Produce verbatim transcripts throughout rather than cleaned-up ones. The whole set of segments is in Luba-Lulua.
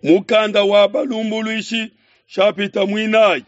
Mukanda wa Balumbuluishi shapita muinayi.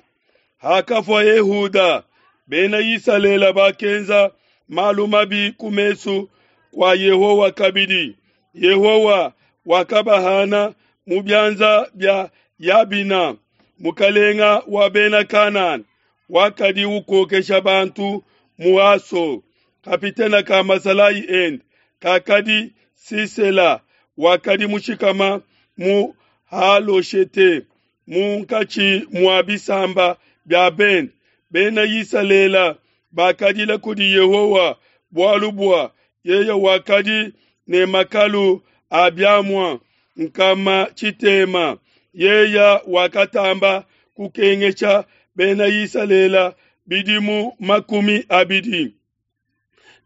Hakafua Ehuda, Bena Isalele bakenza malu mabi ku mesu kua Yehowa kabidi. Yehowa wakabahana mu bianza bia Yabina, mukalenga wa Bena Kanana, wakadi ukokesha bantu mu Haso. Kapitene ka masalayi ende kakadi Sisela, wakadi mushikama mu Haloshete munkatshi mua bisamba bia bende. Bena Isalele bakadila kudi Yehowa bualu bua yeye wakadi ne makalu a biamua nkama tshitema. Yeye wakatamba kukengesha Bena Isalele bidimu makumi abidi.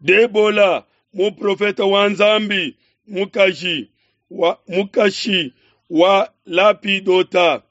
Debola, muprofete wa Nzambi mukaji wa, mukashi wa Lapidota,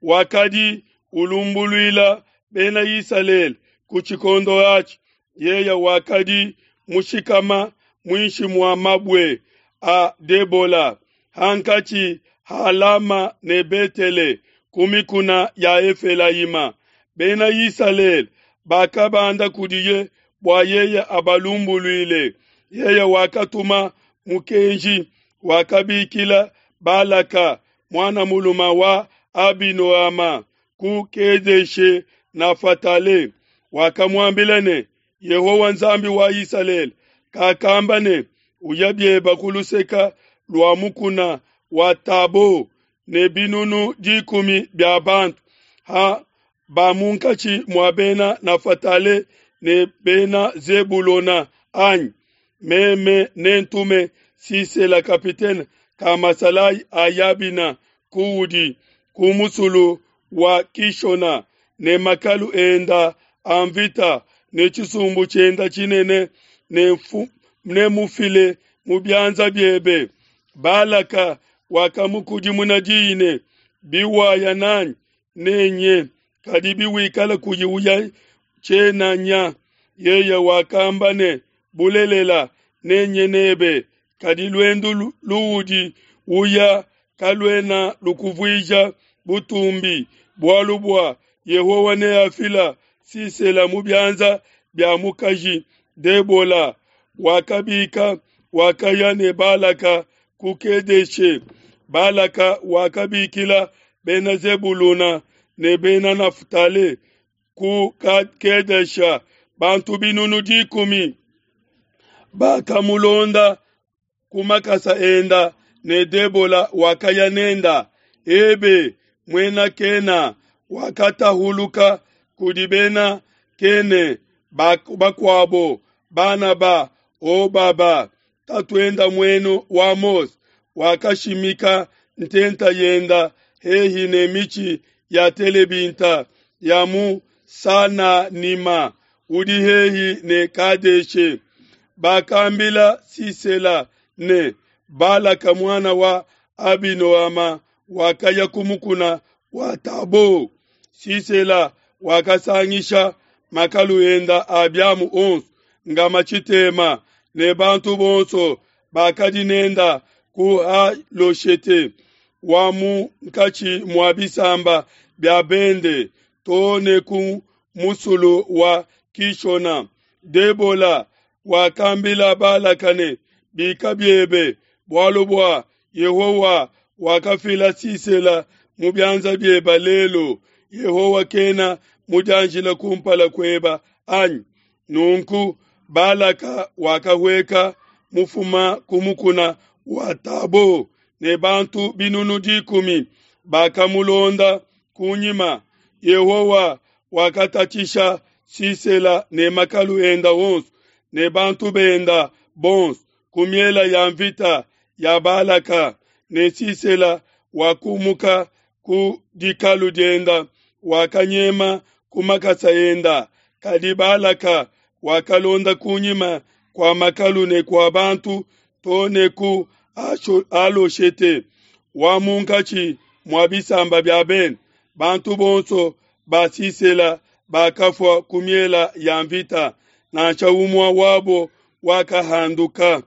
wakadi ulumbuluila Bena Isalele ku tshikondo atshi. Yeye wakadi mushikama muinshi mua mabue a Debola, hankatshi ha Lama ne Betele, ku mikuna ya Efelayima. Bena Isalele bakabanda kudiye bua yeye abalumbuluile. Yeye wakatuma mukenji, wakabikila Balaka muana muluma wa Abinoama ku Kedeshe Nafatale. Wakamuambila ne, Yehowa Nzambi wa Isalele kakamba ne, uya bieba ku luseka lua mukuna wa Tabo ne binunu dikumi bia bantu ha ba munkatshi mua bena Nafatale ne bena Zebulona anyi? Meme nentume Sisela kapitene ka masalayi a Yabina kuudi ku musulu wa Kishona ne makalu enda a mvita ne tshisumbu tshienda tshinene, ne mufile mu bianza biebe. Balaka wakamukudimuna diyi ne, biwaya nanyi nenye, kadi biwikala kuyi uya tshiena nya. Yeye wakamba ne, bulelela nenye nebe, kadi luendu luudi uya kaluena lukuvuija butumbi, bualu bua Yehowa neafila Sisela mu bianza bia mukaji Debola. Wakabika wakaya ne Balaka ku Kedeshe. Balaka wakabikila Bena Zebuluna ne Bena Naftale ku Kedesha, bantu binunu dikumi bakamulonda ku makasa enda, ne Debola wakaya nenda. Ebe muena Kena wakatahuluka kudi bena Kene bakuabo, bana ba Obaba tatuenda muenu wa Mose, wakashimika ntenta yenda hehi ne michi ya telebinta ya mu Sananima udi hehi ne Kadeshe. Bakambila Sisela ne, Balaka muana wa Abinoama wakaya ku mukuna wa Tabo. Sisela wakasangisha makalu enda a biamu onso ngama tshitema ne bantu bonso bakadi nenda ku Haloshete wa munkatshi mua bisamba bia bende to ne ku musulu wa Kishona. Debola wakambila Balaka ne, bika biebe, bualu bua Yehowa wakafila Sisela mu bianza bieba lelo. Yehowa kena mudianjila kumpala kueba anyi? Nunku Balaka wakahueka mufuma ku mukuna wa Tabo ne bantu binunu dikumi bakamulonda kunyima. Yehowa wakatatshisha Sisela ne makalu enda onso ne bantu benda bonso ku miela ya mvita ya Balaka, ne Sisela wakumuka ku dikalu dienda, wakanyema ku makasa enda. Kadi Balaka wakalonda kunyima kua makalu ne kua bantu to ne ku Haloshete wa munkatshi mua bisamba bia bende. Bantu bonso ba Sisela bakafua ku miela ya mvita, nansha umue wabo wakahanduka.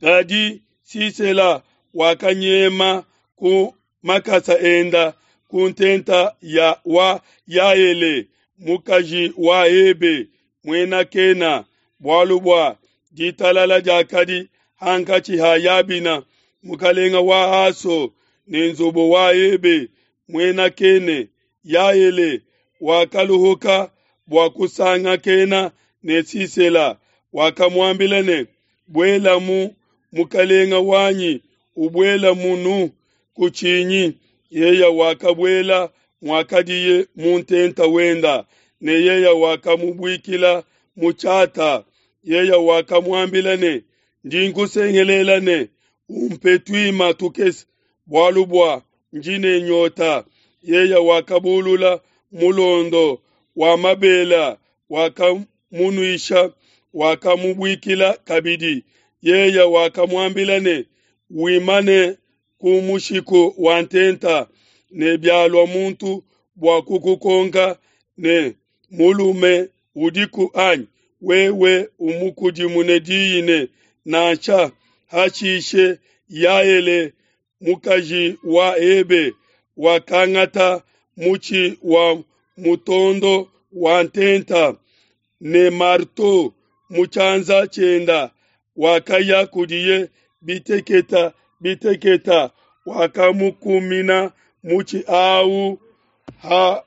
Kadi Sisela wakanyema ku makasa enda ku ntenta ya wa Yaele, mukaji wa Hebe, Muena Kena, bualu bua ditalala diakadi hankatshi ha Yabina, mukalenga wa Haso, ne nzubu wa Hebe, Muena Kene. Yaele wakaluhuka bua kusangakena ne Sisela, wakamuambila ne, Buelamu, mukalenga wanyi, ubuela munu, kutshinyi. Yeye wakabuela muakadiye mu ntenta wenda, ne yeye wakamubuikila mu tshiata. Yeye wakamuambila ne, Ndi nkusengelela ne, Umpe tuima tukese, bualu bua ndi ne nyota. Yeye wakabulula mulondo wa mabela, wakamunuisha, wakamubuikila kabidi. Yeye wakamuambila ne, Wimane ku mushiku wa ntenta, ne bialua muntu bua kukukonka ne, Mulume udiku anyi? Wewe umukudimune diyi ne, Nansha. Hashishe Yaele, mukaji wa Hebe, wakangata mutshi wa mutondo wa ntenta ne marteau mu tshianza tshienda, wakaya kudiye biteketa biteketa, wakamukumina mutshi au ha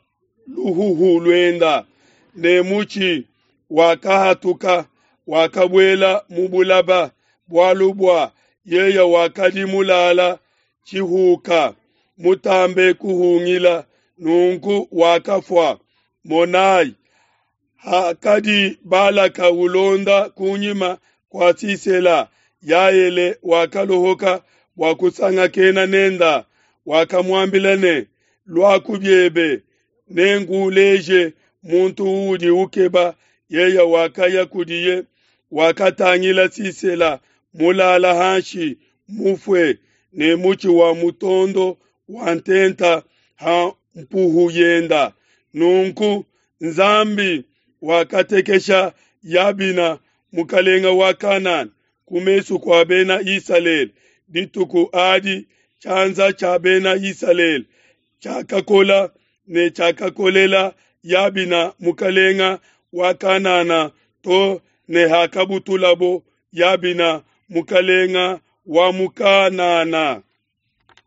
luhuhu luenda, ne mutshi wakahatuka, wakabuela mu bulaba, bualu bua yeye wakadi mulala tshihuka, mutambe kuhungila, nunku wakafua. Monai, hakadi Balaka ulonda kunyima kua Sisela, Yaele wakaluhuka bua kusangakena nenda, wakamuambila ne, Luaku biebe, nenkuleje muntu uudi ukeba. Yeye wakaya kudiye, wakatangila Sisela mulala hanshi mufue, ne mutshi wa mutondo wa ntenta ha mpuhu yenda. Nunku Nzambi wakatekesha Yabina, mukalenga wa Kanana, ku mesu kua Bena Isalele. Dituku adi tshianza tshia Bena Isalele tshiakakola ne tshiakakolela Yabina mukalenga wa Kanana to ne hakabutulabo Yabina mukalenga wa mu Kanana.